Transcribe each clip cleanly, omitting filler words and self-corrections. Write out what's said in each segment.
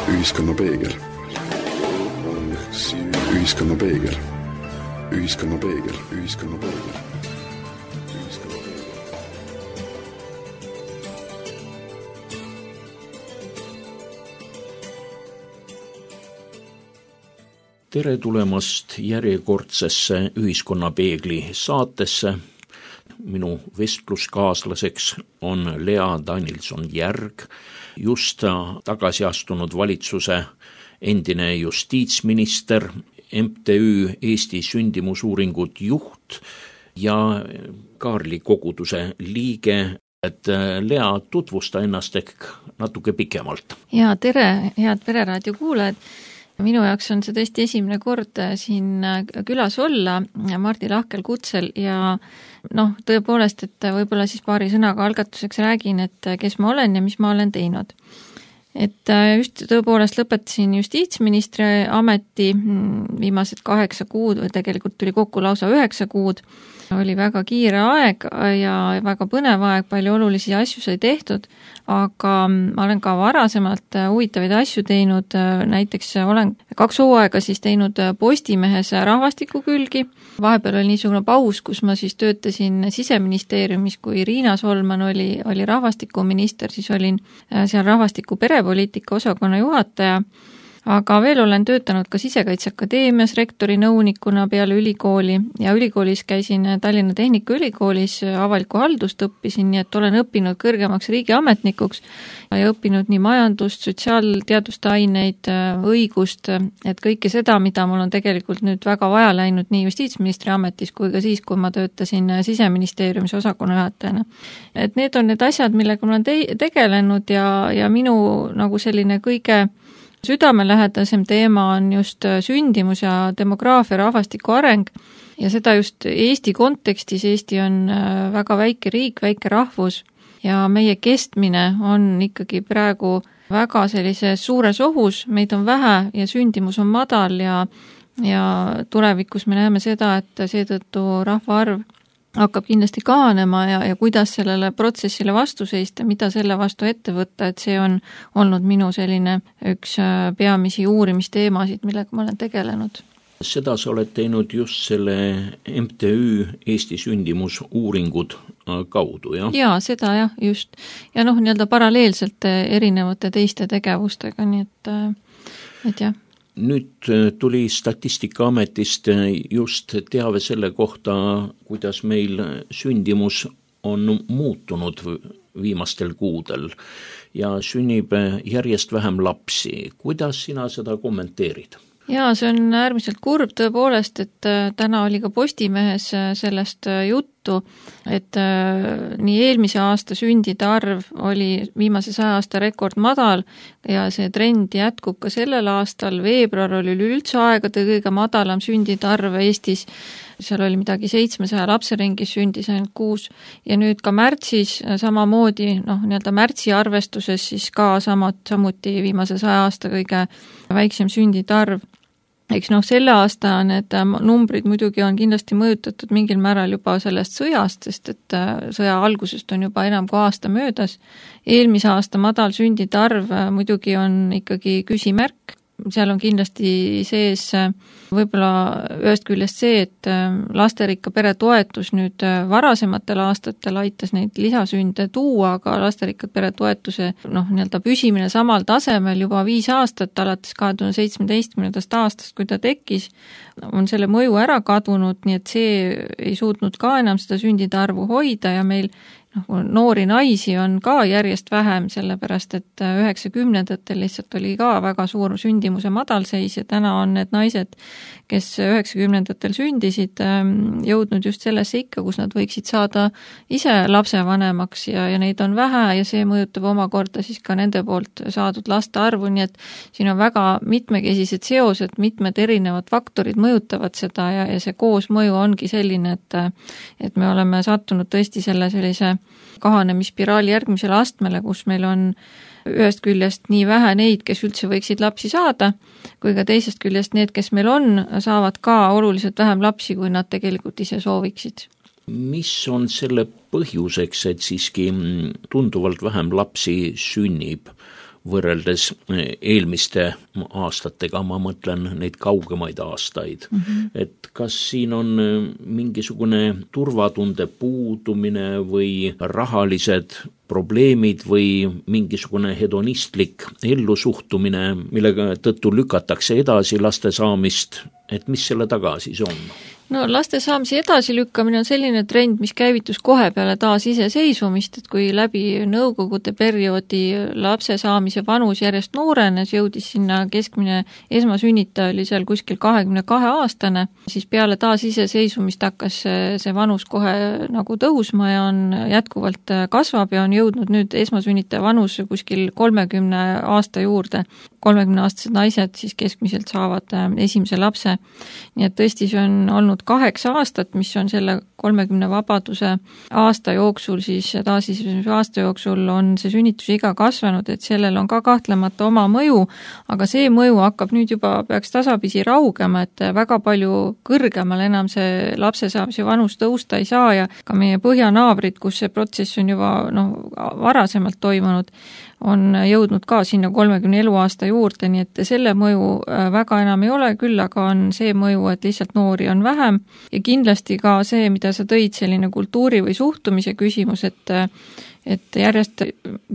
Ühiskonna peegel. Ühiskonna peegel. Ühiskonna peegel. Ühiskonna peegel. Tere tulemast järjekordsesse Ühiskonnapeegli saatesse. Minu vestluskaaslaseks on Lea Danilson-Järg, just tagasi astunud valitsuse endine justiitsminister, MTÜ Eesti sündimusuuringud juht ja Kaarli koguduse liige. Et Lea, tutvusta ennast ehk natuke pikemalt. Ja tere, head Pereraadio kuulajad. Minu jaoks on see tõesti esimene kord siin külas olla Mardi lahkel kutsel ja tõepoolest, et võib-olla siis paari sõnaga algatuseks räägin, et kes ma olen ja mis ma olen teinud. Et just tõepoolest lõpetasin justiitsministri ameti viimased 8 kuud või tegelikult tuli kokku lausa 9 kuud. Oli väga kiire aeg ja väga põnev aeg, palju olulisi asju sai tehtud, aga ma olen ka varasemalt huvitavaid asju teinud, näiteks olen 2 hooaega siis teinud Postimehes rahvastiku külgi. Vahepeal oli niisugune paus, kus ma siis töötasin Siseministeeriumis, kui Riina Solman oli rahvastikuminister, siis olin seal rahvastiku perepoliitika osakonna juhataja. Aga veel olen töötanud ka Sisekaitseakadeemias rektori nõunikuna peale ülikooli ja ülikoolis käisin Tallinna Tehnikaülikoolis, avalikku haldust õppisin, nii et olen õppinud kõrgemaks riigiametnikuks ja õppinud nii majandust, sotsiaalteaduste aineid, õigust, et kõike seda, mida mul on tegelikult nüüd väga vaja läinud nii justiitsministri ametis kui ka siis, kui ma töötasin Siseministeeriumis osakonna juhatajana. Et need on need asjad, millega ma olen tegelenud ja minu nagu selline kõige südamelähedasem teema on just sündimus ja demograafia rahvastiku areng ja seda just Eesti kontekstis. Eesti on väga väike riik, väike rahvus ja meie kestmine on ikkagi praegu väga sellises suures ohus, meid on vähe ja sündimus on madal ja tulevikus me näeme seda, et seetõttu rahvaarv hakkab kindlasti kahanema ja kuidas sellele protsessile vastu seista, mida selle vastu ette võtta, et see on olnud minu selline üks peamisi uurimisteemasid, millega ma olen tegelenud. Seda sa oled teinud just selle MTÜ Eesti sündimusuuringud kaudu, jah? Jaa, seda jah, just. Ja nii-öelda paralleelselt erinevate teiste tegevustega, nii et jah. Nüüd tuli Statistikaametist just teave selle kohta, kuidas meil sündimus on muutunud viimastel kuudel ja sünnib järjest vähem lapsi. Kuidas sina seda kommenteerid? Jaa, see on äärmiselt kurb tõepoolest, et täna oli ka Postimehes sellest juttu, et nii eelmise aasta sündide arv oli viimase 100 aasta rekord madal ja see trend jätkub ka sellel aastal. Veebruar oli üldse aegade kõige madalam sündide arv Eestis. Seal oli midagi 700 lapse ringis, sündis ainult 6 ja nüüd ka märtsis samamoodi, nii-öelda märtsi arvestuses siis ka samuti viimase 100 aasta kõige väiksem sündide arv. Eks selle aasta need numbrid muidugi on kindlasti mõjutatud mingil määral juba sellest sõjast, sest et sõja algusest on juba enam kui aasta möödas. Eelmise aasta madal sündide arv muidugi on ikkagi küsimärk. Seal on kindlasti sees võib-olla ühest küljest see, et lasterikka pere toetus nüüd varasematel aastatel aitas neid lisasünde tuua, aga lasterikkad pere toetuse nii-öelda püsimine samal tasemel juba 5 aastat alates 2017. aastast, kui ta tekkis, on selle mõju ära kadunud, nii et see ei suutnud ka enam seda sündide arvu hoida ja meil noori naisi on ka järjest vähem, sellepärast et 90-ndatel lihtsalt oli ka väga suur sündimuse madalseis ja täna on need naised, kes 90-ndatel sündisid, jõudnud just sellesse ikka, kus nad võiksid saada ise lapsevanemaks ja neid on vähe ja see mõjutab omakorda siis ka nende poolt saadud laste arvu, nii et siin on väga mitmekesised seosed, mitmed erinevad faktorid mõjutavad seda ja see koosmõju ongi selline, et me oleme sattunud tõesti sellise kahanemispiraali järgmisele astmele, kus meil on ühest küljest nii vähe neid, kes üldse võiksid lapsi saada, kui ka teisest küljest need, kes meil on, saavad ka oluliselt vähem lapsi, kui nad tegelikult ise sooviksid. Mis on selle põhjuseks, et siiski tunduvalt vähem lapsi sünnib võrreldes eelmiste aastatega, ma mõtlen neid kaugemaid aastaid. Et kas siin on mingisugune turvatunde puudumine või rahalised probleemid või mingisugune hedonistlik ellusuhtumine, millega tõttu lükatakse edasi laste saamist, et mis selle taga siis on? No laste saamise edasilükkamine on selline trend, mis käivitus kohe peale taas iseseisvumist, et kui läbi nõukogude perioodi lapse saamise vanus järjest noorenes, jõudis sinna keskmine esmasünnitaja oli seal kuskil 22-aastane, siis peale taas iseseisvumist hakkas see vanus kohe nagu tõusma ja on jätkuvalt kasvab ja on jõudnud nüüd esmasünnitaja vanus kuskil 30 aasta juurde. 30-aastased naised siis keskmiselt saavad esimese lapse. Nii et tõesti see on olnud 8 aastat, mis on selle 30 vabaduse aasta jooksul, siis taasiseseisvumise aasta jooksul on see sünnitusiga kasvanud, et sellel on ka kahtlemata oma mõju, aga see mõju hakkab nüüd juba peaks tasapisi raugema, et väga palju kõrgemal enam see lapse saamise vanus tõusta ei saa ja ka meie põhjanaabrid, kus see protsess on juba varasemalt toimunud, on jõudnud ka sinna 30 eluaasta juurde, nii et selle mõju väga enam ei ole, küll aga on see mõju, et lihtsalt noori on vähem ja kindlasti ka see, mida sa tõid, selline kultuuri või suhtumise küsimus, et järjest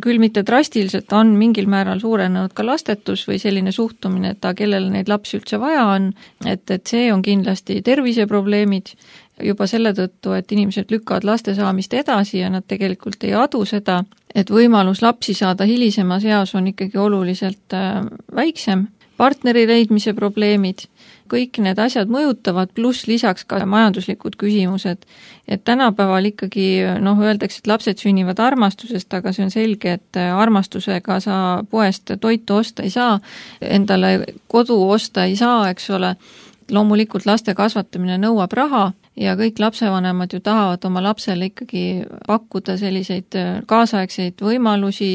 küll mitte drastiliselt on mingil määral suurenenud ka lastetus või selline suhtumine, et kellele neid lapsi üldse vaja on, et see on kindlasti terviseprobleemid juba selle tõttu, et inimesed lükkavad laste saamist edasi ja nad tegelikult ei adu seda, et võimalus lapsi saada hilisemas eas on ikkagi oluliselt väiksem. Partneri leidmise probleemid, kõik need asjad mõjutavad, pluss lisaks ka majanduslikud küsimused, et tänapäeval ikkagi öeldakse, et lapsed sünnivad armastusest, aga see on selge, et armastusega sa poest toitu osta ei saa, endale kodu osta ei saa, eks ole. Loomulikult laste kasvatamine nõuab raha ja kõik lapsevanemad ju tahavad oma lapsele ikkagi pakkuda selliseid kaasaegseid võimalusi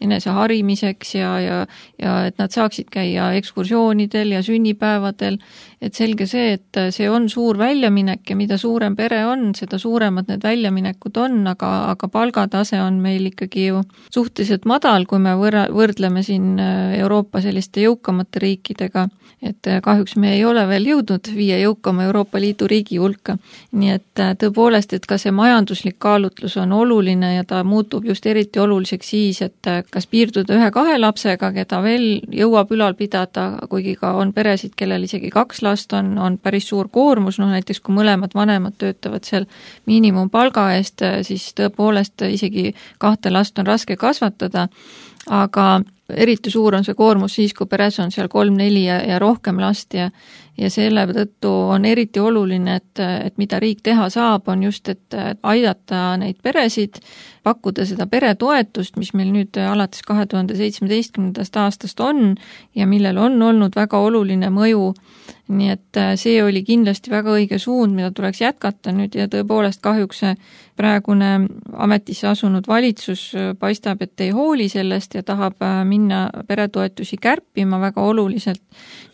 enese harimiseks ja et nad saaksid käia ekskursioonidel ja sünnipäevadel. Et selge see, et see on suur väljaminek ja mida suurem pere on, seda suuremad need väljaminekud on, aga palgatase on meil ikkagi ju suhteliselt madal, kui me võrdleme siin Euroopa selliste jõukamate riikidega, et kahjuks me ei ole veel jõudnud 5 jõukama Euroopa Liidu riigi hulka. Nii et tõepoolest, et ka see majanduslik kaalutlus on oluline ja ta muutub just eriti oluliseks siis, et kas piirduda 1-2 lapsega, keda veel jõuab ülal pidada, kuigi ka on peresid, kellel isegi 2 last on päris suur koormus, näiteks kui mõlemad vanemad töötavad seal miinimumpalga eest, siis tõepoolest isegi 2 last on raske kasvatada, aga eriti suur on see koormus siis, kui peres on seal 3-4 ja rohkem last ja selle tõttu on eriti oluline, et mida riik teha saab, on just, et aidata neid peresid, pakkuda seda peretoetust, mis meil nüüd alates 2017. aastast on ja millel on olnud väga oluline mõju. Nii et see oli kindlasti väga õige suund, mida tuleks jätkata nüüd ja tõepoolest kahjuks praegune ametisse asunud valitsus paistab, et ei hooli sellest ja tahab minna peretoetusi kärpima väga oluliselt.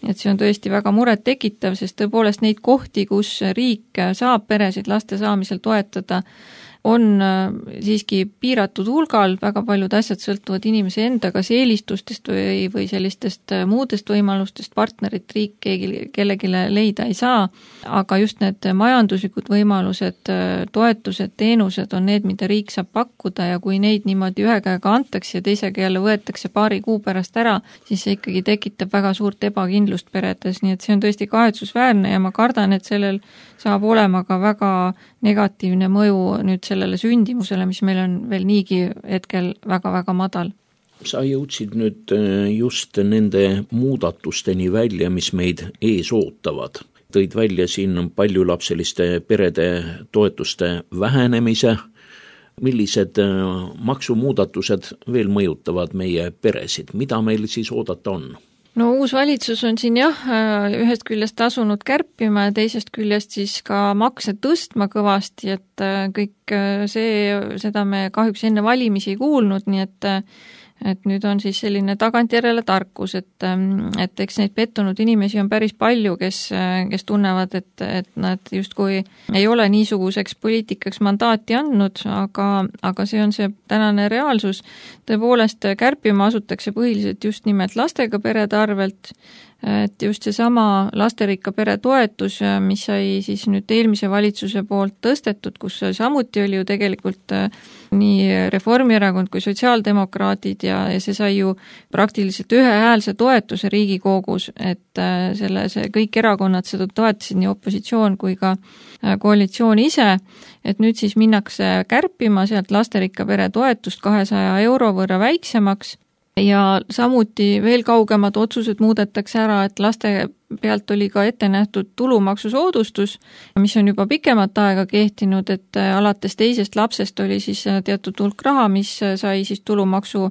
Nii et see on tõesti väga muret tekitav, sest tõepoolest neid kohti, kus riik saab peresid laste saamisel toetada, on siiski piiratud hulgal, väga paljud asjad sõltuvad inimese enda kas eelistustest või sellistest muudest võimalustest, partnerit riik kellelegi leida ei saa, aga just need majanduslikud võimalused, toetused, teenused on need, mida riik saab pakkuda ja kui neid niimoodi ühe käega antakse ja teisega jälle võetakse paari kuu pärast ära, siis see ikkagi tekitab väga suurt ebakindlust peredes, nii et see on tõesti kahetsusväärne ja ma kardan, et sellel saab olema ka väga negatiivne mõju nüüd sellele sündimusele, mis meil on veel niigi hetkel väga-väga madal. Sa jõudsid nüüd just nende muudatusteni välja, mis meid ees ootavad. Tõid välja siin paljulapseliste perede toetuste vähenemise. Millised maksumuudatused veel mõjutavad meie peresid? Mida meil siis oodata on? No uus valitsus on siin ühest küljest asunud kärpima ja teisest küljest siis ka makse tõstma kõvasti, et kõik seda me kahjuks enne valimisi ei kuulnud, nii et et nüüd on siis selline tagantjärele tarkus, et eks neid pettunud inimesi on päris palju, kes tunnevad, et nad justkui ei ole niisuguseks poliitikaks mandaati andnud, aga see on see tänane reaalsus. Tõepoolest kärpima asutakse põhiliselt just nimelt lastega perede arvelt, et just seesama lasterikka pere toetus, mis sai siis nüüd eelmise valitsuse poolt tõstetud, kus samuti oli ju tegelikult nii Reformierakond kui sotsiaaldemokraadid ja see sai ju praktiliselt ühehäälse toetuse Riigikogus, et see kõik erakonnad seda toetasid, nii opositsioon kui ka koalitsioon ise, et nüüd siis minnakse kärpima sealt lasterikka pere toetust 200 euro võrra väiksemaks. Ja samuti veel kaugemad otsused muudetakse ära, et laste pealt oli ka ette nähtud tulumaksusoodustus, mis on juba pikemat aega kehtinud, et alates teisest lapsest oli siis teatud hulk raha, mis sai siis tulumaksu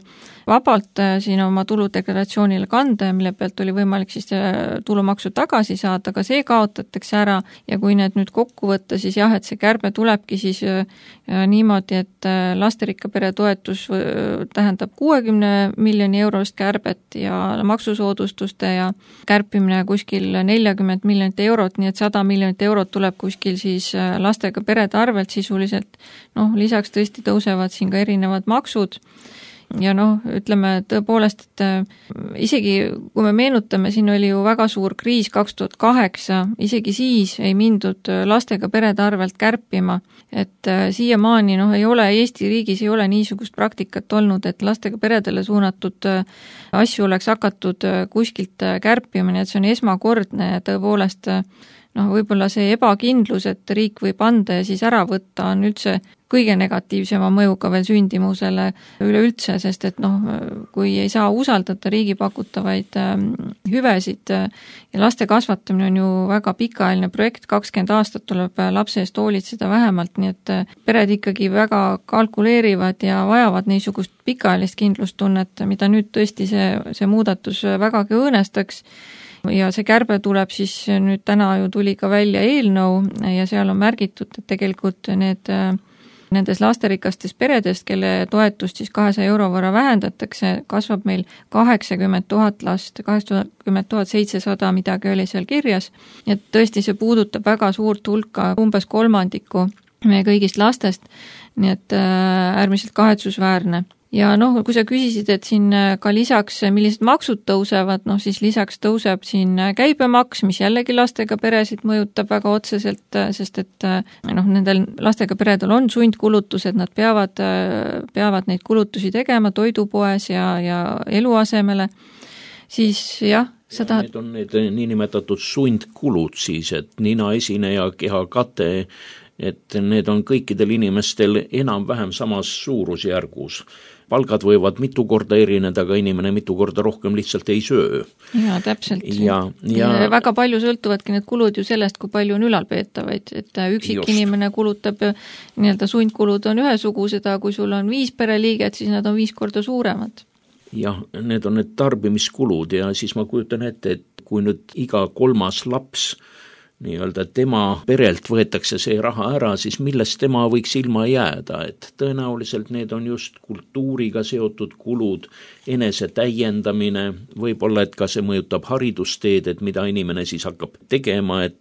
vabalt siin oma tuludeklaratsioonile kanda ja mille pealt oli võimalik siis tulumaksu tagasi saada, aga see kaotatakse ära ja kui need nüüd kokku võtta, siis jah, et see kärbe tulebki siis niimoodi, et lasterikka pere toetus tähendab 60 miljoni eurost kärbet ja maksusoodustuste ja kärpimine kuskil 40 miljonit eurot, nii et 100 miljonit eurot tuleb kuskil siis lastega perede arvelt sisuliselt. Lisaks tõesti tõusevad siin ka erinevad maksud ja ütleme tõepoolest, et isegi kui me meenutame, siin oli ju väga suur kriis 2008, isegi siis ei mindud lastega perede arvelt kärpima, et siiamaani ei ole Eesti riigis ei ole niisugust praktikat olnud, et lastega peredele suunatud asju oleks hakatud kuskilt kärpima, nii et see on esmakordne ja tõepoolest võib-olla see ebakindlus, et riik võib anda ja siis ära võtta, on üldse kõige negatiivsema mõjuga veel sündimusele üleüldse, sest et kui ei saa usaldada riigi pakutavaid hüvesid ja laste kasvatamine on ju väga pikaajaline projekt, 20 aastat tuleb lapse eest hoolitseda vähemalt, nii et pered ikkagi väga kalkuleerivad ja vajavad niisugust pikaajalist kindlustunnet, mida nüüd tõesti see muudatus vägagi õõnestaks. Ja see kärbe tuleb siis nüüd täna ju tuli ka välja eelnõu ja seal on märgitud, et tegelikult nendes lasterikastes peredest, kelle toetust siis 200 euro võrra vähendatakse, kasvab meil 80 000 last, 80 700 midagi oli seal kirjas. Et tõesti see puudutab väga suurt hulka, umbes kolmandiku meie kõigist lastest, nii et äärmiselt kahetsusväärne. Ja kui sa küsisid, et siin ka lisaks, millised maksud tõusevad, siis lisaks tõuseb siin käibemaks, mis jällegi lastega peresid mõjutab väga otseselt, sest et nendel lastega peredel on sundkulutused, nad peavad neid kulutusi tegema toidupoes ja eluasemele, siis jah, Need on need niinimetatud sundkulud siis, et nina esineja, keha kate, et need on kõikidel inimestel enam-vähem samas suurusjärgus. Palgad võivad mitu korda erineda, aga inimene mitu korda rohkem lihtsalt ei söö. Ja täpselt. Ja väga palju sõltuvadki need kulud ju sellest, kui palju on ülalpeetavaid, et üksik inimene kulutab, nii-öelda sundkulud on ühesugused, aga kui sul on 5 pereliiget, siis nad on 5 korda suuremad. Jah, need on need tarbimiskulud ja siis ma kujutan ette, et kui nüüd iga 3. laps nii-öelda tema perelt võetakse see raha ära, siis millest tema võiks ilma jääda, et tõenäoliselt need on just kultuuriga seotud kulud, enese täiendamine, võib-olla, et ka see mõjutab haridusteed, et mida inimene siis hakkab tegema, et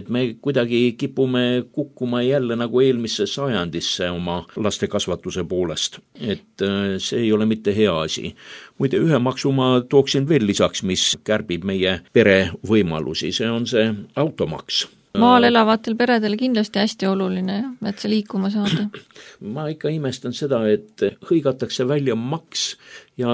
me kuidagi kipume kukkuma jälle nagu eelmisse sajandisse oma laste kasvatuse poolest, et see ei ole mitte hea asi. Muide, ühe maksu ma tooksin veel lisaks, mis kärbib meie pere võimalusi, see on see automaks. Maal elavatel peredele kindlasti hästi oluline, et see liikuma saada. Ma ikka imestan seda, et hõigatakse välja maks ja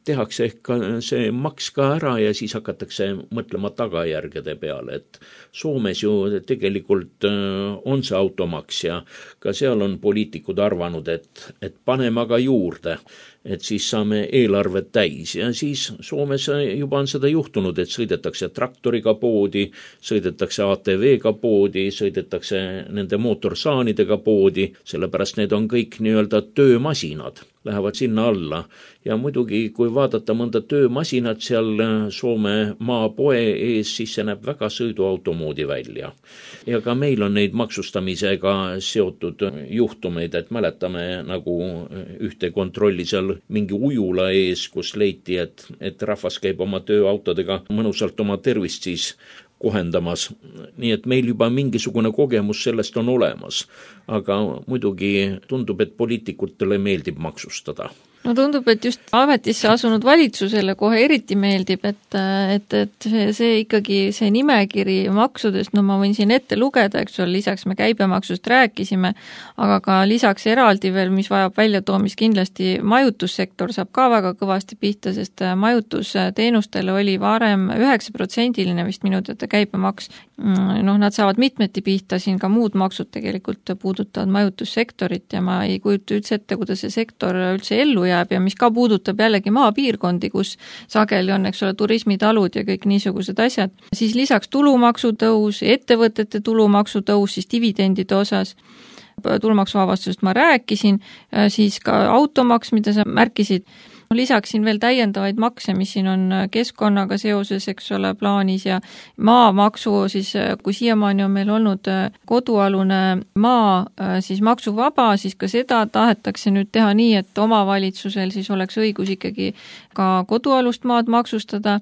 tehakse ehk see maks ka ära ja siis hakatakse mõtlema tagajärgede peale, et Soomes ju tegelikult on see automaks ja ka seal on poliitikud arvanud, et paneme aga juurde, et siis saame eelarvet täis ja siis Soomes juba on seda juhtunud, et sõidetakse traktoriga poodi, sõidetakse ATV-ga poodi, sõidetakse nende mootorsaanidega poodi, sellepärast need on kõik nii-öelda töömasinad. lähevad sinna alla. Ja muidugi, kui vaadata mõnda töömasinat seal Soome maapoe ees, siis see näeb väga sõiduautomoodi välja. Ja ka meil on neid maksustamisega seotud juhtumeid, et mäletame nagu ühte kontrolli seal mingi ujula ees, kus leiti, et rahvas käib oma tööautodega mõnusalt oma tervist siis kohendamas. Nii et meil juba mingisugune kogemus sellest on olemas, aga muidugi tundub, et poliitikutele meeldib maksustada. No tundub, et just ametisse asunud valitsusele kohe eriti meeldib, et see ikkagi see nimekiri maksudest, no ma võin siin ette lugeda, eks ole, lisaks me käibemaksust rääkisime, aga ka lisaks eraldi veel, mis vajab väljatoomist, kindlasti majutussektor saab ka väga kõvasti pihta, sest majutusteenustele oli varem 9% vist minu teada käibemaks. Nad saavad mitmeti pihta, siin ka muud maksud tegelikult puudutavad majutussektorit ja ma ei kujuta üldse ette, kuidas see sektor üldse ellu jääb ja mis ka puudutab jällegi maapiirkondi, kus sageli on, eks ole, turismitalud ja kõik niisugused asjad. Siis lisaks tulumaksutõus, ettevõtete tulumaksutõus, siis dividendide osas, tulumaksuvabastusest ma rääkisin, siis ka automaks, mida sa märkisid. Lisaksin veel täiendavaid makse, mis siin on keskkonnaga seoses, eks ole, plaanis ja maamaksu, siis kui siiamaani on meil olnud kodualune maa siis maksuvaba, siis ka seda tahetakse nüüd teha nii, et omavalitsusel siis oleks õigus ikkagi ka kodualust maad maksustada,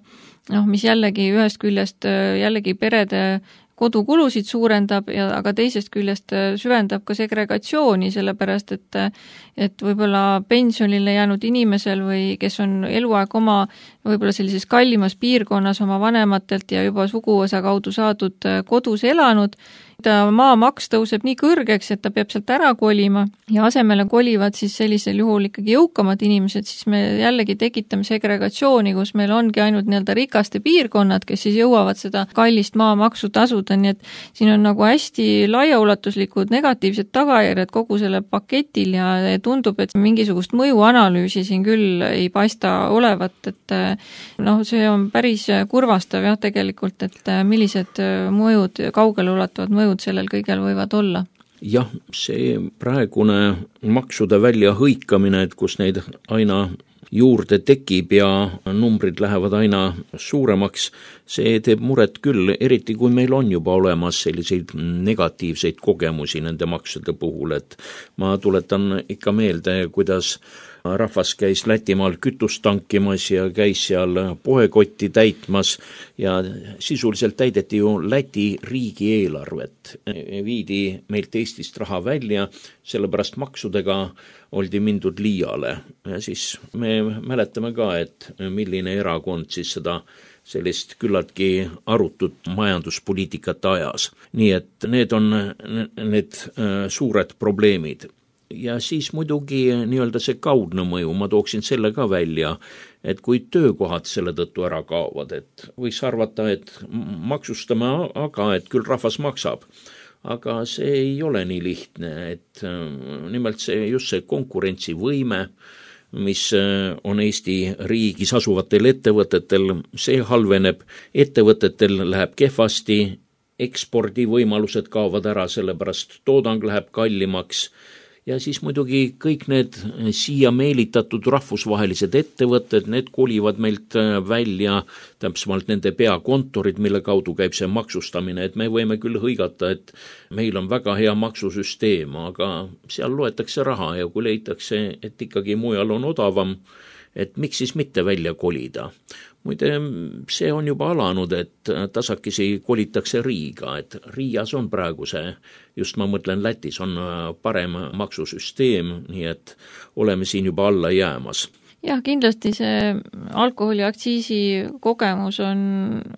mis jällegi ühest küljest jällegi perede kodukulusid suurendab, aga teisest küljest süvendab ka segregatsiooni, sellepärast et võib-olla pensionile jäänud inimesel või kes on eluaeg oma võib-olla sellises kallimas piirkonnas oma vanematelt ja juba suguvõsa kaudu saadud kodus elanud, maamaks tõuseb nii kõrgeks, et ta peab sealt ära kolima ja asemele kolivad siis sellisel juhul ikkagi jõukamad inimesed, siis me jällegi tekitame segregatsiooni, kus meil ongi ainult nii-öelda rikaste piirkonnad, kes siis jõuavad seda kallist maamaksu tasuda, nii et siin on nagu hästi laiaulatuslikud negatiivsed tagajärjed kogu selle paketil ja tundub, et mingisugust mõjuanalüüsi siin küll ei paista olevat, et see on päris kurvastav jah tegelikult, et millised mõjud, kaugeleulatavad mõjud sellel kõigel võivad olla. Jah, see praegune maksude välja hõikamine, et kus neid aina juurde tekib ja numbrid lähevad aina suuremaks, see teeb muret küll, eriti kui meil on juba olemas selliseid negatiivseid kogemusi nende maksude puhul, et ma tuletan ikka meelde, kuidas rahvas käis Lätimaal kütust tankimas ja käis seal poekotti täitmas ja sisuliselt täideti ju Läti riigieelarvet. Viidi meilt Eestist raha välja, sellepärast maksudega oldi mindud liiale. Ja siis me mäletame ka, et milline erakond siis seda sellist küllaltki arutut majanduspoliitikat ajas. Nii et need on need suured probleemid. Ja siis muidugi nii-öelda see kaudne mõju, ma tooksin selle ka välja, et kui töökohad selle tõttu ära kaovad, et võiks arvata, et maksustame, aga et küll rahvas maksab. Aga see ei ole nii lihtne, et nimelt just see konkurentsivõime, mis on Eesti riigis asuvatel ettevõtetel, see halveneb, ettevõtetel läheb kehvasti, ekspordivõimalused kaovad ära, sellepärast toodang läheb kallimaks. Ja siis muidugi kõik need siia meelitatud rahvusvahelised ettevõtted, need kolivad meilt välja, täpsemalt nende peakontorid, mille kaudu käib see maksustamine, et me võime küll hõigata, et meil on väga hea maksusüsteem, aga seal loetakse raha ja kui leitakse, et ikkagi mujal on odavam, et miks siis mitte välja kolida. Muide, see on juba alanud, et tasakesi kolitakse Riiga, et Riias on praegu see, just ma mõtlen Lätis, on parem maksusüsteem, nii et oleme siin juba alla jäämas. Jah, kindlasti see alkoholiaktsiisi kogemus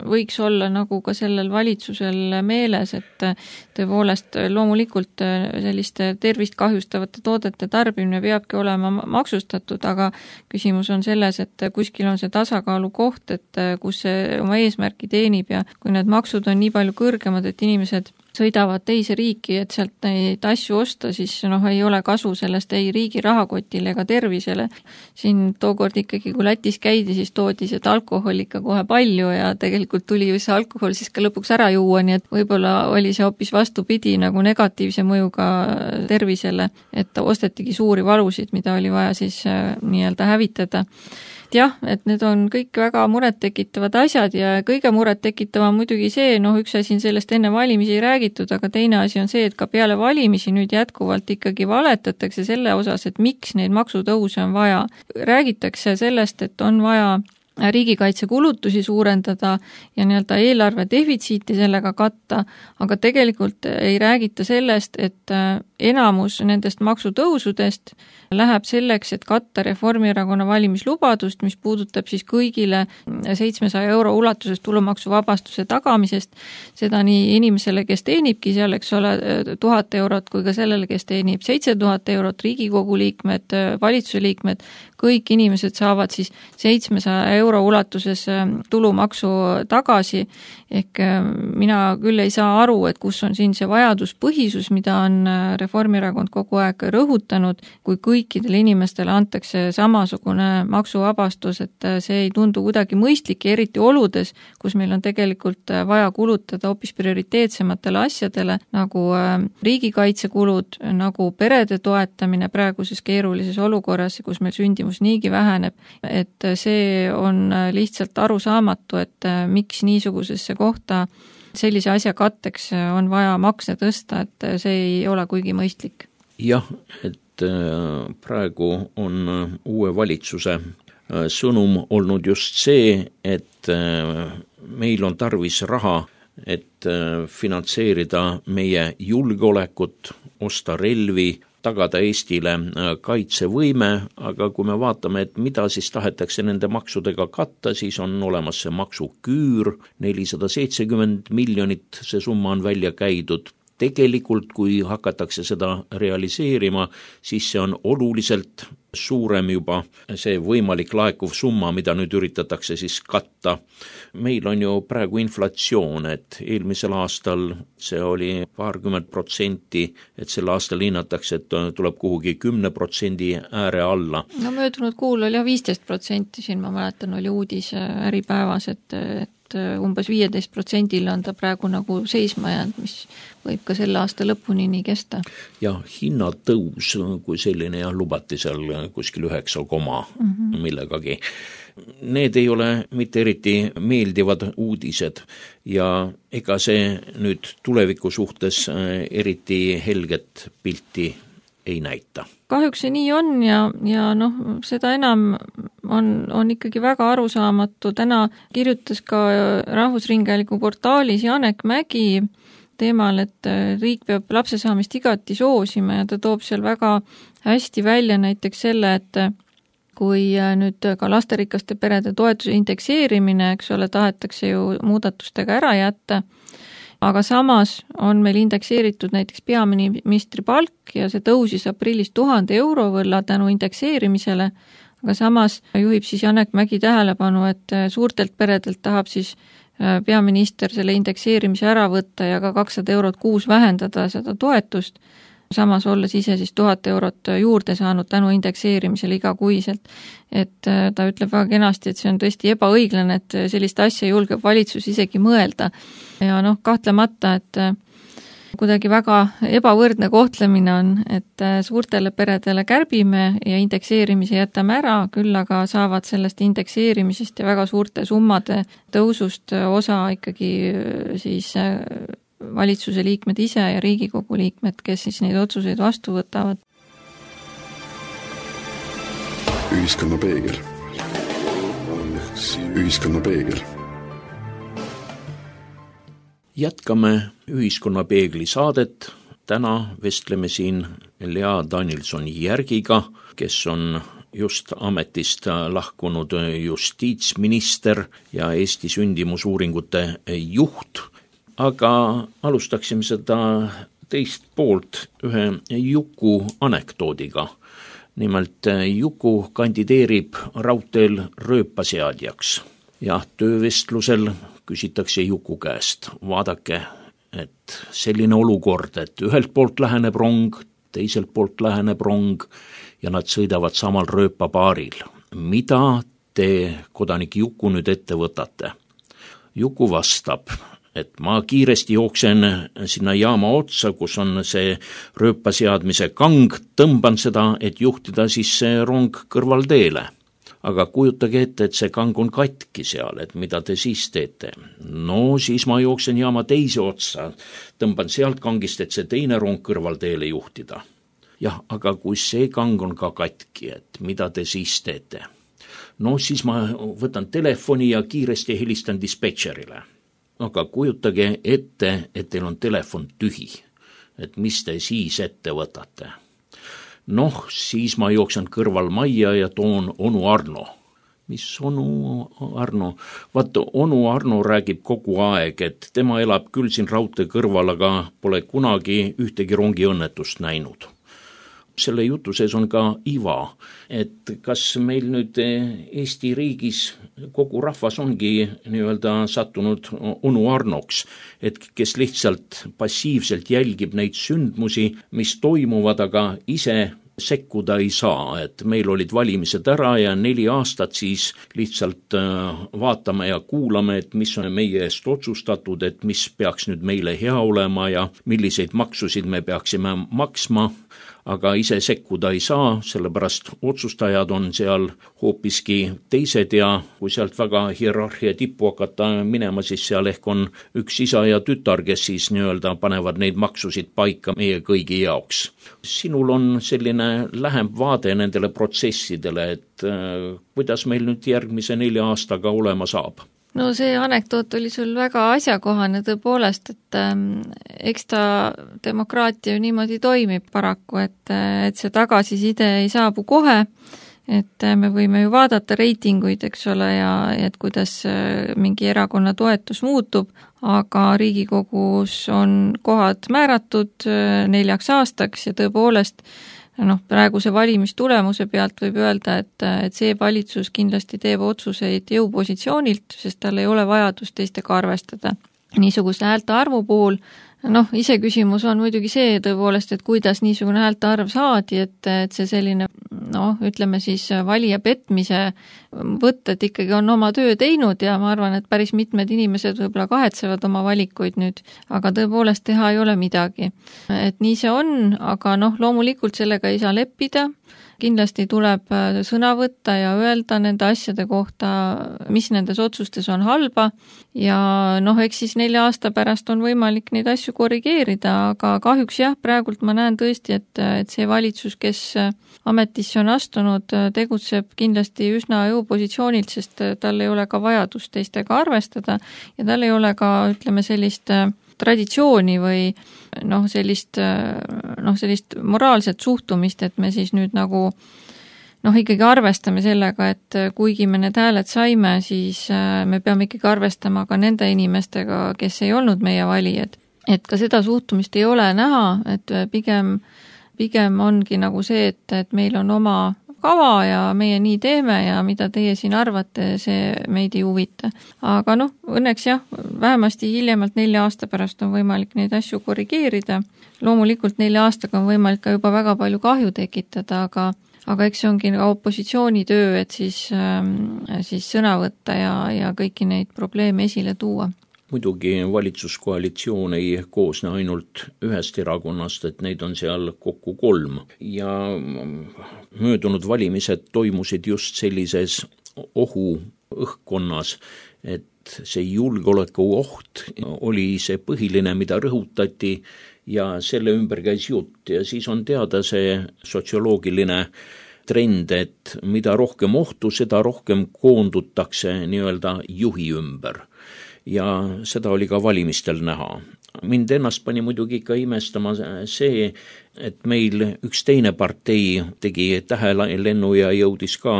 võiks olla nagu ka sellel valitsusel meeles, et tõepoolest loomulikult selliste tervist kahjustavate toodete tarbimine peabki olema maksustatud, aga küsimus on selles, et kuskil on see tasakaalu koht, et kus see oma eesmärki teenib ja kui need maksud on nii palju kõrgemad, et inimesed sõidavad teise riiki, et sealt neid asju osta, siis ei ole kasu sellest ei riigi rahakotile ega tervisele. Siin tookord ikkagi, kui Lätis käidi, siis toodi seda alkohol ikka kohe palju ja tegelikult tuli ju see alkohol siis ka lõpuks ära juua, nii et võib-olla oli see hoopis vastupidi nagu negatiivse mõjuga tervisele, et ostetigi suuri valusid, mida oli vaja siis nii-öelda hävitada. Jah, et need on kõik väga muret tekitavad asjad ja kõige muret tekitava muidugi see, üks asi sellest enne valimisi ei räägitud, aga teine asi on see, et ka peale valimisi nüüd jätkuvalt ikkagi valetatakse selle osas, et miks neid maksutõuse on vaja. Räägitakse sellest, et on vaja riigikaitsekulutusi suurendada ja nii-öelda eelarve defitsiiti sellega katta, aga tegelikult ei räägita sellest, et enamus nendest maksutõusudest läheb selleks, et katta Reformierakonna valimislubadust, mis puudutab siis kõigile 700 € ulatuses tulumaksuvabastuse tagamisest, seda nii inimesele, kes teenibki seal, eks ole, 1000 eurot, kui ka sellele, kes teenib 7000 eurot, Riigikogu liikmed, valitsuse liikmed, kõik inimesed saavad siis 700 € ulatuses tulumaksu tagasi, ehk mina küll ei saa aru, et kus on siin see vajaduspõhisus, mida on Reformierakond kogu aeg rõhutanud, kui kõikidele inimestele antakse samasugune maksuvabastus, et see ei tundu kuidagi mõistlik, eriti oludes, kus meil on tegelikult vaja kulutada hoopis prioriteetsematele asjadele, nagu riigikaitsekulud, nagu perede toetamine praeguses keerulises olukorras, kus meil sündimus niigi väheneb, et see on lihtsalt arusaamatu, et miks niisugusesse kohta sellise asja katteks on vaja makse tõsta, et see ei ole kuigi mõistlik. Jah, et praegu on uue valitsuse sõnum olnud just see, et meil on tarvis raha, et finantseerida meie julgeolekut, osta relvi, tagada Eestile kaitsevõime, aga kui me vaatame, et mida siis tahetakse nende maksudega katta, siis on olemas see maksuküür, 470 miljonit, see summa on välja käidud. Tegelikult, kui hakatakse seda realiseerima, siis see on oluliselt suurem juba see võimalik laekuv summa, mida nüüd üritatakse siis katta. Meil on ju praegu inflatsioon, et eelmisel aastal see oli 20%, et sel aastal hinnatakse, et tuleb kuhugi 10% ääre alla. No möödunud kuul oli 15%, siin ma mäletan, oli uudis Äripäevas, et umbes 15% on ta praegu nagu seisma jäänud, mis võib ka selle aasta lõpuni nii kesta. Ja hinnatõus, kui selline lubati seal kuskil 9, millegagi. Need ei ole mitte eriti meeldivad uudised ja ega see nüüd tuleviku suhtes eriti helget pilti ei näita. Kahjuks see nii on ja seda enam on ikkagi väga arusaamatu. Täna kirjutas ka Rahvusringhäälingu portaalis Janek Mägi teemal, et riik peab lapse saamist igati soosima ja ta toob seal väga hästi välja näiteks selle, et kui nüüd ka lasterikaste perede toetuse indekseerimine, eks ole, tahetakse ju muudatustega ära jätta, aga samas on meil indekseeritud näiteks peaministri palk ja see tõusis aprillis 1000 € võrra tänu indekseerimisele, aga samas juhib siis Janek Mägi tähelepanu, et suurtelt peredelt tahab siis peaminister selle indekseerimise ära võtta ja ka 200 € kuus vähendada seda toetust, samas olles ise siis 1000 € juurde saanud tänu indekseerimisele igakuiselt. Et ta ütleb väga kenasti, et see on tõesti ebaõiglane, et sellist asja julgeb valitsus isegi mõelda. Ja kahtlemata, et kuidagi väga ebavõrdne kohtlemine on, et suurtele peredele kärbime ja indekseerimise jätame ära, küll aga saavad sellest indekseerimisest ja väga suurte summade tõusust osa ikkagi siis valitsuse liikmed ise ja Riigikogu liikmed, kes siis neid otsuseid vastu võtavad. Ühiskonna peegel. Ühiskonna peegel. Jätkame Ühiskonna peegli saadet. Täna vestleme siin Lea Danilson-Järgiga, kes on just ametist lahkunud justiitsminister ja Eesti sündimusuuringute juht. Aga alustaksime seda teist poolt ühe Juku anekdoodiga. Nimelt Juku kandideerib raudteel rööpaseadjaks ja töövestlusel küsitakse Juku käest, vaadake, et selline olukord, et ühelt poolt läheneb rong, teiselt poolt läheneb rong ja nad sõidavad samal rööpapaaril. Mida te, kodanik Juku, nüüd ette võtate? Juku vastab, et ma kiiresti jooksen sinna jaama otsa, kus on see rööpaseadmise kang, tõmban seda, et juhtida siis see rong kõrvalteele. Aga kujutage ette, et see kang on katki seal, et mida te siis teete? No siis ma jooksen jaama teise otsa, tõmban sealt kangist, et see teine rong kõrvalteele juhtida. Jah, aga kui see kang on ka katki, et mida te siis teete? No siis ma võtan telefoni ja kiiresti helistan dispetšerile. Aga kujutage ette, et teil on telefon tühi, et mis te siis ette võtate? Noh, siis ma jooksen kõrval majja ja toon onu Arno. Mis onu Arno? Vaat, onu Arno räägib kogu aeg, et tema elab küll siin raudtee kõrval, aga pole kunagi ühtegi rongiõnnetust näinud. Selle jutu sees on ka iva, et kas meil nüüd Eesti riigis kogu rahvas ongi nii-öelda sattunud onu Arnoks, et kes lihtsalt passiivselt jälgib neid sündmusi, mis toimuvad, aga ise sekkuda ei saa, et meil olid valimised ära ja 4 aastat siis lihtsalt vaatame ja kuulame, et mis on meie eest otsustatud, et mis peaks nüüd meile hea olema ja milliseid maksusid me peaksime maksma, aga ise sekkuda ei saa, sellepärast otsustajad on seal hoopiski teised ja kui sealt väga hierarhia tippu hakata minema, siis seal ehk on üks isa ja tütar, kes siis nii-öelda panevad neid maksusid paika meie kõigi jaoks. Sinul on selline lähem vaade nendele protsessidele, et kuidas meil nüüd järgmise 4 aastaga olema saab? No see anekdoot oli sul väga asjakohane tõepoolest, et eks ta demokraatia ju niimoodi toimib paraku, et see tagasiside ei saabu kohe, et me võime ju vaadata reitinguid, eks ole, ja et kuidas mingi erakonna toetus muutub, aga Riigikogus on kohad määratud 4 aastaks ja tõepoolest praeguse valimistulemuse pealt võib öelda, et see valitsus kindlasti teeb otsuseid jõupositsioonilt, sest tal ei ole vajadust teistega arvestada. Niisuguse häälte arvu puhul, iseküsimus on muidugi see tõepoolest, et kuidas niisugune häälte arv saadi, et see selline, ütleme siis valija petmise võtted ikkagi on oma töö teinud ja ma arvan, et päris mitmed inimesed võib-olla kahetsevad oma valikuid nüüd, aga tõepoolest teha ei ole midagi. Et nii see on, aga loomulikult sellega ei saa leppida, kindlasti tuleb sõna võtta ja öelda nende asjade kohta, mis nendes otsustes on halba ja eks siis 4 aasta pärast on võimalik neid asju korrigeerida, aga kahjuks jah, praegult ma näen tõesti, et see valitsus, kes ametisse on astunud, tegutseb kindlasti üsna jõupositsioonilt, sest tal ei ole ka vajadust teistega arvestada ja tal ei ole ka, ütleme, sellist traditsiooni või sellist moraalset suhtumist, et me siis nüüd ikkagi arvestame sellega, et kuigi me need hääled saime, siis me peame ikkagi arvestama ka nende inimestega, kes ei olnud meie valijad. Et ka seda suhtumist ei ole näha, et pigem ongi see, et meil on oma kava ja meie nii teeme ja mida teie siin arvate, see meid ei huvita. Aga õnneks jah, vähemasti hiljemalt 4 aasta pärast on võimalik neid asju korrigeerida. Loomulikult 4 aastaga on võimalik ka juba väga palju kahju tekitada, aga eks see ongi ka opositsiooni töö, et siis sõna võtta ja kõiki neid probleeme esile tuua. Muidugi valitsuskoalitsioon ei koosne ainult ühest erakonnast, et neid on seal kokku 3 ja möödunud valimised toimusid just sellises ohuõhkkonnas, et see julgeolekuoht oli see põhiline, mida rõhutati ja selle ümber käis jutt ja siis on teada see sotsioloogiline trend, et mida rohkem ohtu, seda rohkem koondutakse nii-öelda juhi ümber. Ja seda oli ka valimistel näha. Mind ennast pani muidugi ikka imestama see, et meil üks teine partei tegi tähelennu ja jõudis ka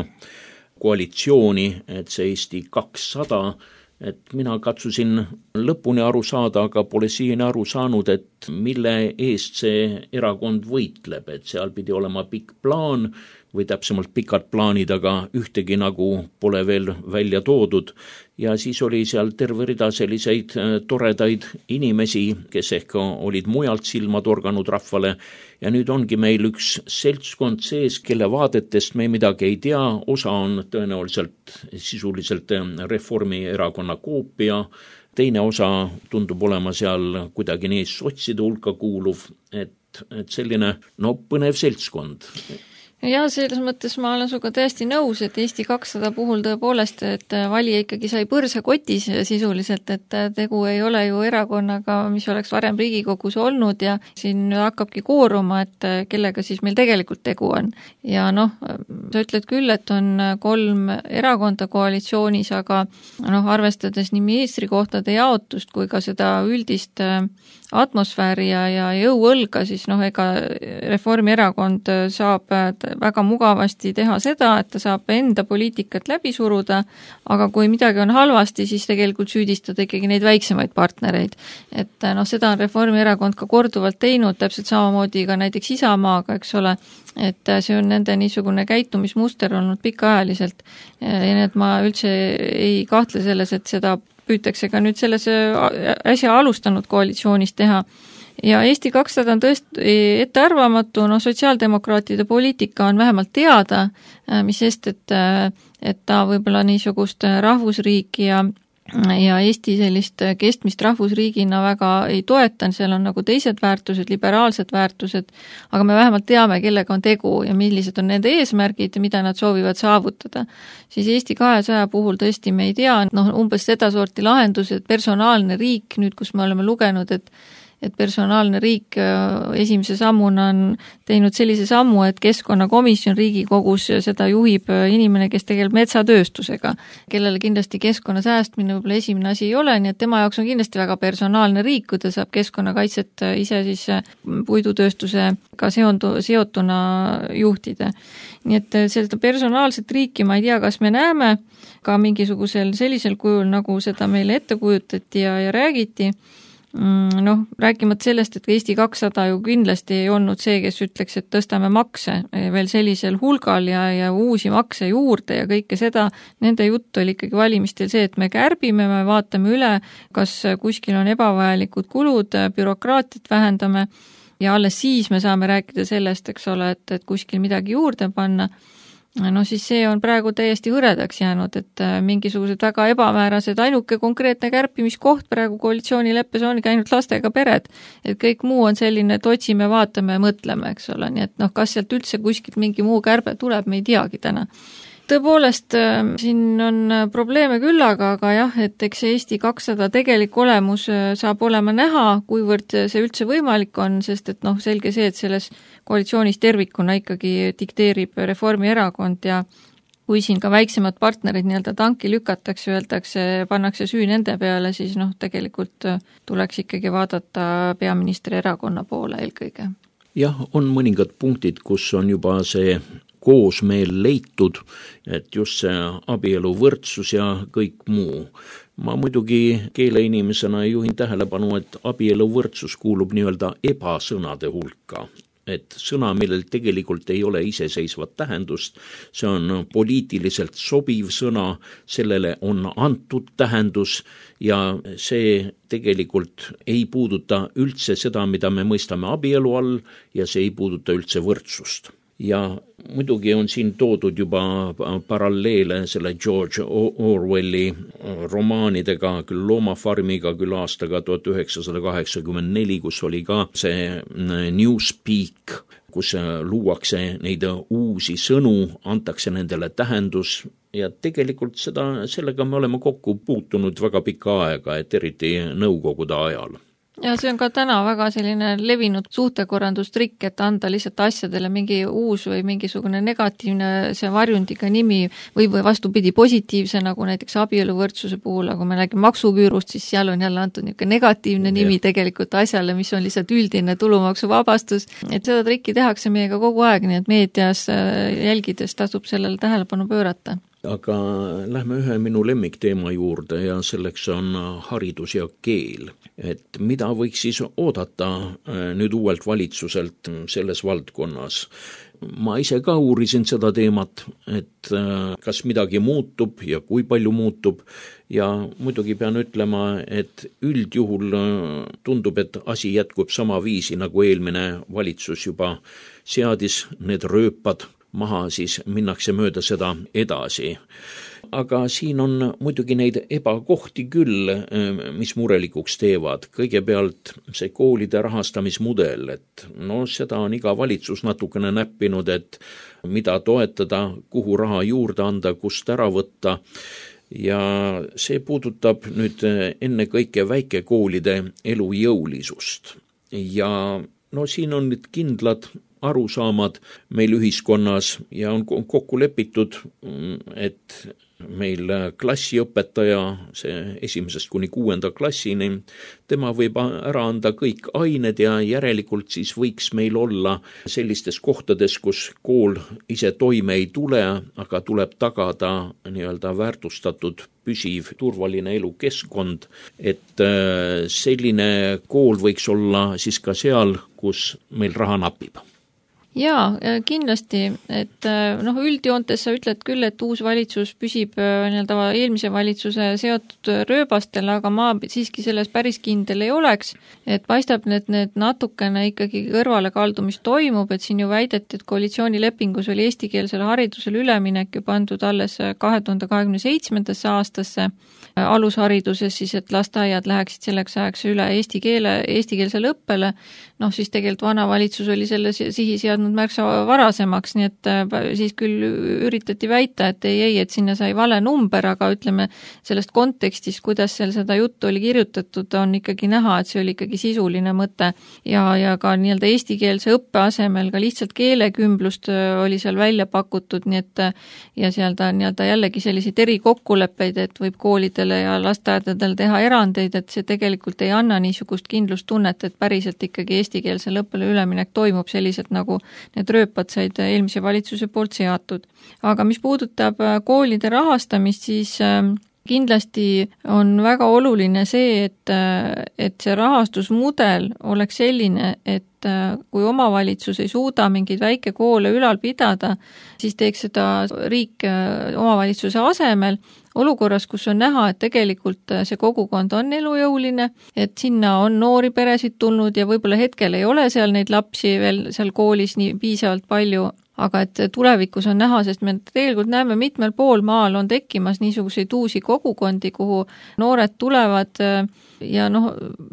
koalitsiooni, et see Eesti 200, et mina katsusin lõpuni aru saada, aga pole siiani aru saanud, et mille eest see erakond võitleb, et seal pidi olema pikk plaan või täpsemalt pikad plaanid, aga ühtegi pole veel välja toodud ja siis oli seal terve rida selliseid toredaid inimesi, kes ehk olid mujalt silma torganud rahvale ja nüüd ongi meil üks seltskond sees, kelle vaadetest me midagi ei tea, osa on tõenäoliselt sisuliselt Reformierakonna koopia, teine osa tundub olema seal kuidagi nii sotside hulka kuuluv, et selline põnev seltskond. Ja selles mõttes ma olen suga täiesti nõus, et Eesti 200 puhul tõepoolest, et valija ikkagi sai põrsa kotis sisuliselt, et tegu ei ole ju erakonnaga, mis oleks varem Riigikogus olnud ja siin hakkabki kooruma, et kellega siis meil tegelikult tegu on. Ja sa ütled küll, et on 3 erakonda koalitsioonis, aga arvestades nii ministrikohtade jaotust kui ka seda üldist atmosfääri ja jõuõlga, siis ega Reformierakond saab väga mugavasti teha seda, et ta saab enda poliitikat läbi suruda, aga kui midagi on halvasti, siis tegelikult süüdistada ikkagi neid väiksemaid partnereid. Et seda on Reformierakond ka korduvalt teinud, täpselt samamoodi ka näiteks Isamaaga, eks ole, et see on nende niisugune käitumismuster olnud pikaajaliselt. Ja need ma üldse ei kahtle selles, et seda püütakse ka nüüd selles äsja alustanud koalitsioonis teha. Ja Eesti 200 on tõesti ettearvamatu, sotsiaaldemokraatide poliitika on vähemalt teada, mis sest, et ta võib-olla niisugust rahvusriiki ja Eesti sellist kestmist rahvusriigina väga ei toetan, seal on nagu teised väärtused, liberaalsed väärtused, aga me vähemalt teame, kellega on tegu ja millised on nende eesmärgid ja mida nad soovivad saavutada. Siis Eesti 200 puhul tõesti me ei tea, umbes seda sorti lahendused, personaalne riik, nüüd kus me oleme lugenud, et personaalne riik esimese sammuna on teinud sellise sammu, et keskkonnakomisjon Riigikogus seda juhib inimene, kes tegeleb metsatööstusega, kellele kindlasti keskkonna säästmine võib-olla esimene asi ei ole, nii et tema jaoks on kindlasti väga personaalne riik, kui ta saab keskkonnakaitset ise siis puidutööstusega seotuna juhtida. Nii et seda personaalset riiki ma ei tea, kas me näeme ka mingisugusel sellisel kujul, nagu seda meile ette kujutati ja räägiti. Rääkimata sellest, et Eesti 200 ju kindlasti ei olnud see, kes ütleks, et tõstame makse veel sellisel hulgal ja uusi makse juurde ja kõike seda. Nende jutt oli ikkagi valimistel see, et me kärbime, me vaatame üle, kas kuskil on ebavajalikud kulud, bürokraatiat vähendame ja alles siis me saame rääkida sellest, eks ole, et kuskil midagi juurde panna. Siis see on praegu täiesti hõredaks jäänud, et mingisugused väga ebamäärased, ainuke konkreetne kärpimiskoht praegu koalitsioonileppes ongi ainult lastega pered. Et kõik muu on selline, et otsime, vaatame ja mõtleme, eks ole. Nii et kas sealt üldse kuskilt mingi muu kärbe tuleb, me ei teagi täna. Tõepoolest, siin on probleeme küll, aga jah, et eks Eesti 200 tegelik olemus saab olema näha, kuivõrd see üldse võimalik on, sest et selge see, et selles koalitsioonis tervikuna ikkagi dikteerib Reformierakond ja kui siin ka väiksemad partnerid nii-öelda tanki lükatakse, öeldakse, pannakse süü nende peale, siis tegelikult tuleks ikkagi vaadata peaministri erakonna poole eelkõige. Jah, on mõningad punktid, kus on juba see koos meil leitud, et just see abielu võrdsus ja kõik muu. Ma muidugi keeleinimesena juhin tähelepanu, et abielu võrdsus kuulub nii-öelda ebasõnade hulka. Et sõna, millel tegelikult ei ole iseseisvat tähendust, see on poliitiliselt sobiv sõna, sellele on antud tähendus ja see tegelikult ei puuduta üldse seda, mida me mõistame abielu all ja see ei puuduta üldse võrdsust. Ja muidugi on siin toodud juba paralleele selle George Orwelli romaanidega, küll Loomafarmiga, küll aastaga 1984, kus oli ka see Newspeak, kus luuakse neid uusi sõnu, antakse nendele tähendus ja tegelikult sellega me oleme kokku puutunud väga pikka aega, et eriti nõukogude ajal. Ja see on ka täna väga selline levinud suhtekorrandustrikk, et anda lihtsalt asjadele mingi uus või mingisugune negatiivne see varjundiga nimi või vastupidi positiivse, nagu näiteks abieluvõrdsuse puhul, aga kui me räägime maksuküürust, siis seal on jälle antud niisugune negatiivne nimi tegelikult asjale, mis on lihtsalt üldine tulumaksuvabastus. Et seda trikki tehakse meiega kogu aeg, nii et meedias jälgides tasub sellele tähelepanu pöörata. Aga lähme ühe minu lemmikteema juurde ja selleks on haridus ja keel. Et mida võiks siis oodata nüüd uuelt valitsuselt selles valdkonnas? Ma ise ka uurisin seda teemat, et kas midagi muutub ja kui palju muutub ja muidugi pean ütlema, et üldjuhul tundub, et asi jätkub sama viisi, nagu eelmine valitsus juba seadis need rööpad maha, siis minnakse mööda seda edasi. Aga siin on muidugi neid ebakohti küll, mis murelikuks teevad. Kõigepealt see koolide rahastamismudel, et seda on iga valitsus natukene näppinud, et mida toetada, kuhu raha juurde anda, kust ära võtta. Ja see puudutab nüüd ennekõike väikekoolide elujõulisust. Ja siin on nüüd kindlad arusaamad meil ühiskonnas ja on kokku lepitud, et meil klassiõpetaja, see 1. kuni 6. klassini, tema võib ära anda kõik ained ja järelikult siis võiks meil olla sellistes kohtades, kus kool ise toime ei tule, aga tuleb tagada nii-öelda väärtustatud püsiv turvaline elukeskkond, et selline kool võiks olla siis ka seal, kus meil raha napib. Jaa, kindlasti, et üldjoontes sa ütled küll, et uus valitsus püsib eelmise valitsuse seotud rööbastel, aga ma siiski selles päris kindel ei oleks, et paistab, et need natukene ikkagi kõrvale kaldumist toimub, et siin ju väideti, et koalitsioonilepingus oli eestikeelsele haridusele üleminek ju pandud alles 2027. aastasse alushariduses siis, et lasteaiad läheksid selleks ajaks üle eestikeelsele õppele, siis tegelikult vana valitsus oli selle sihi seadnud märksa varasemaks, nii et siis küll üritati väita, et ei, et sinna sai vale number, aga ütleme sellest kontekstist, kuidas seal seda juttu oli kirjutatud, on ikkagi näha, et see oli ikkagi sisuline mõte ja ka nii-öelda eestikeelse õppe asemel ka lihtsalt keelekümblust oli seal välja pakutud, nii et ja seal ta nii-öelda jällegi selliseid erikokkuleppeid, et võib koolidele ja lasteaedadele teha erandeid, et see tegelikult ei anna niisugust kindlustunnet, et päriselt ikkagi eestikeelsele õppele üleminek toimub selliselt, nagu need rööpad said eelmise valitsuse poolt seatud. Aga mis puudutab koolide rahastamist, siis kindlasti on väga oluline see, et see rahastusmudel oleks selline, et kui omavalitsus ei suuda mingeid väikekoole ülal pidada, siis teeks seda riik omavalitsuse asemel, olukorras, kus on näha, et tegelikult see kogukond on elujõuline, et sinna on noori peresid tulnud ja võib-olla hetkel ei ole seal neid lapsi veel seal koolis nii piisavalt palju, aga et tulevikus on näha, sest me tegelikult näeme mitmel pool maal on tekkimas niisuguseid uusi kogukondi, kuhu noored tulevad ja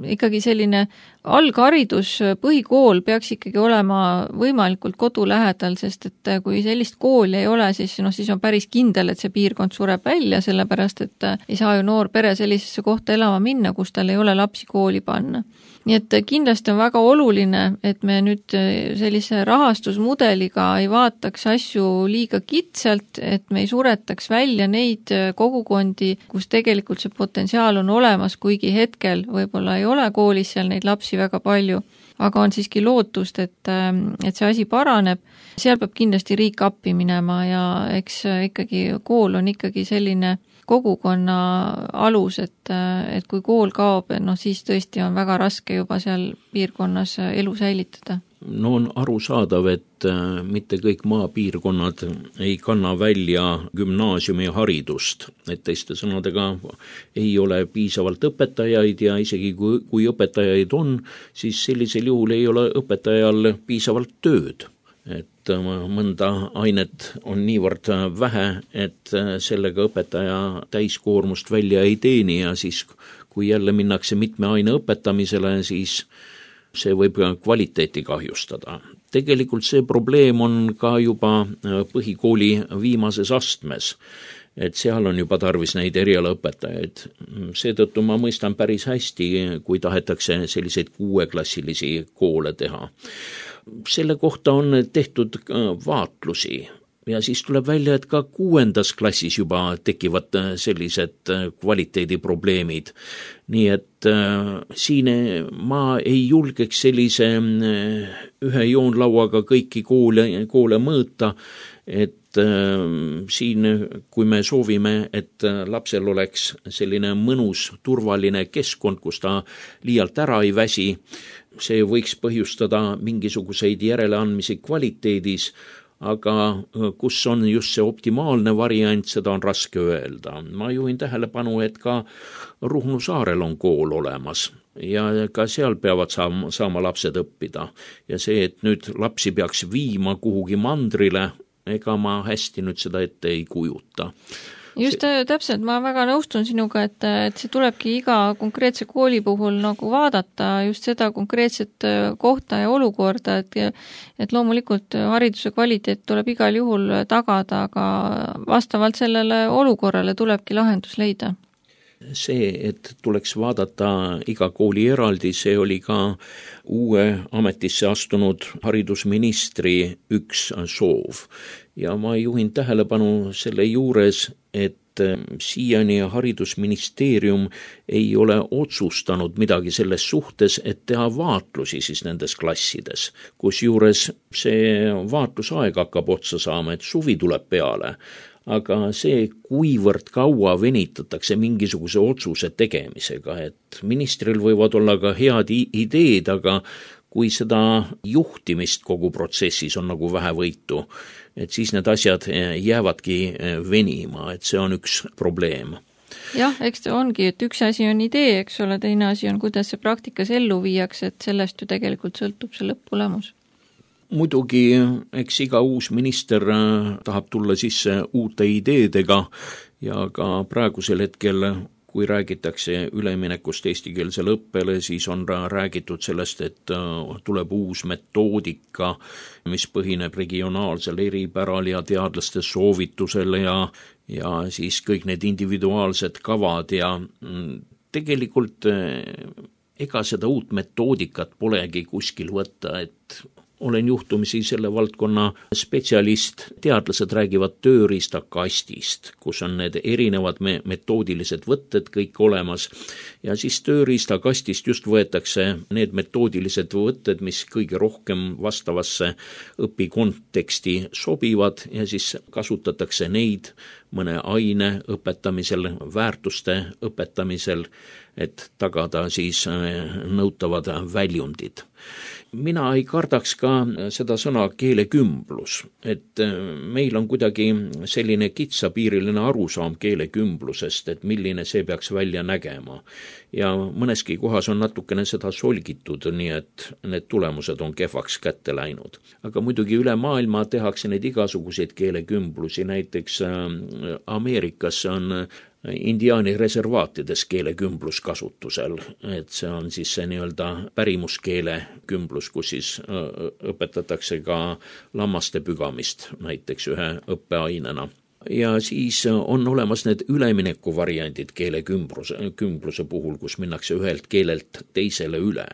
ikkagi selline algharidus, põhikool peaks ikkagi olema võimalikult kodu lähedal, sest et kui sellist kooli ei ole, siis on päris kindel, et see piirkond sureb välja, sellepärast et ei saa ju noor pere sellisesse kohta elama minna, kus tal ei ole lapsi kooli panna. Nii et kindlasti on väga oluline, et me nüüd sellise rahastusmudeliga ei vaataks asju liiga kitsalt, et me ei suretaks välja neid kogukondi, kus tegelikult see potentsiaal on olemas, kuigi hetkel võib-olla ei ole koolis seal neid lapsi väga palju, aga on siiski lootust, et see asi paraneb. Seal peab kindlasti riik appi minema ja eks ikkagi kool on ikkagi selline kogukonna alus, et kui kool kaob, siis tõesti on väga raske juba seal piirkonnas elu säilitada. On arusaadav, et mitte kõik maapiirkonnad ei kanna välja gümnaasiumi haridust, et teiste sõnadega ei ole piisavalt õpetajaid ja isegi kui õpetajaid on, siis sellisel juhul ei ole õpetajal piisavalt tööd. Et mõnda ainet on niivõrd vähe, et sellega õpetaja täiskoormust välja ei teeni ja siis kui jälle minnakse mitme aine õpetamisele, siis see võib kvaliteeti kahjustada. Tegelikult see probleem on ka juba põhikooli viimases astmes, et seal on juba tarvis neid erialaõpetajaid. Seetõttu ma mõistan päris hästi, kui tahetakse selliseid 6-klassilisi koole teha. Selle kohta on tehtud vaatlusi ja siis tuleb välja, et ka 6. klassis juba tekivad sellised kvaliteediprobleemid. Nii et siin ma ei julgeks sellise ühe joonlauaga kõiki koole mõõta, et et siin, kui me soovime, et lapsel oleks selline mõnus, turvaline keskkond, kus ta liialt ära ei väsi, see võiks põhjustada mingisuguseid järeleandmisi kvaliteedis, aga kus on just see optimaalne variant, seda on raske öelda. Ma juhin tähelepanu, et ka Ruhnu saarel on kool olemas ja ka seal peavad saama lapsed õppida. Ja see, et nüüd lapsi peaks viima kuhugi mandrile, ega ma hästi nüüd seda ette ei kujuta. Just täpselt, ma väga nõustun sinuga, et see tulebki iga konkreetse kooli puhul nagu vaadata just seda konkreetset kohta ja olukorda, et loomulikult hariduse kvaliteet tuleb igal juhul tagada, aga vastavalt sellele olukorrale tulebki lahendus leida. See, et tuleks vaadata iga kooli eraldi, see oli ka uue ametisse astunud haridusministri üks soov. Ja ma juhin tähelepanu selle juures, et siiani haridusministeerium ei ole otsustanud midagi selles suhtes, et teha vaatlusi siis nendes klassides, kus juures see vaatlusaeg hakkab otsa saama, et suvi tuleb peale. Aga see, kuivõrd kaua venitatakse mingisuguse otsuse tegemisega, et ministril võivad olla ka head ideed, aga kui seda juhtimist kogu protsessis on nagu vähe võitu, et siis need asjad jäävadki venima, et see on üks probleem. Jah, eks ta ongi, et üks asi on idee, eks ole, teine asi on, kuidas see praktikas ellu viiakse, et sellest ju tegelikult sõltub see lõpptulemus. Muidugi, eks iga uus minister tahab tulla sisse uute ideedega ja ka praegusel hetkel, kui räägitakse üleminekust eestikeelsele õppele, siis on räägitud sellest, et tuleb uus metoodika, mis põhineb regionaalsel eripäral ja teadlaste soovitusel ja siis kõik need individuaalsed kavad ja tegelikult ega seda uut metoodikat polegi kuskil võtta, et olen juhtumisi selle valdkonna spetsialist, teadlased räägivad tööriistakastist, kus on need erinevad metoodilised võtted kõik olemas ja siis tööriistakastist just võetakse need metoodilised võtted, mis kõige rohkem vastavasse õpikonteksti sobivad ja siis kasutatakse neid mõne aine õpetamisel, väärtuste õpetamisel, et tagada siis nõutavad väljundid. Mina ei kardaks ka seda sõna keelekümblus, et meil on kuidagi selline kitsapiiriline arusaam keelekümblusest, et milline see peaks välja nägema. Ja mõneski kohas on natukene seda solgitud, nii et need tulemused on kehvaks kätte läinud. Aga muidugi üle maailma tehakse neid igasuguseid keelekümblusi, näiteks Ameerikas on indiaani reservaatides keelekümblus kasutusel, et see on siis see nii-öelda pärimuskeele kümblus, kus siis õpetatakse ka lammaste pügamist näiteks ühe õppeainena. Ja siis on olemas need üleminekuvariandid keelekümbluse puhul, kus minnakse ühelt keelelt teisele üle.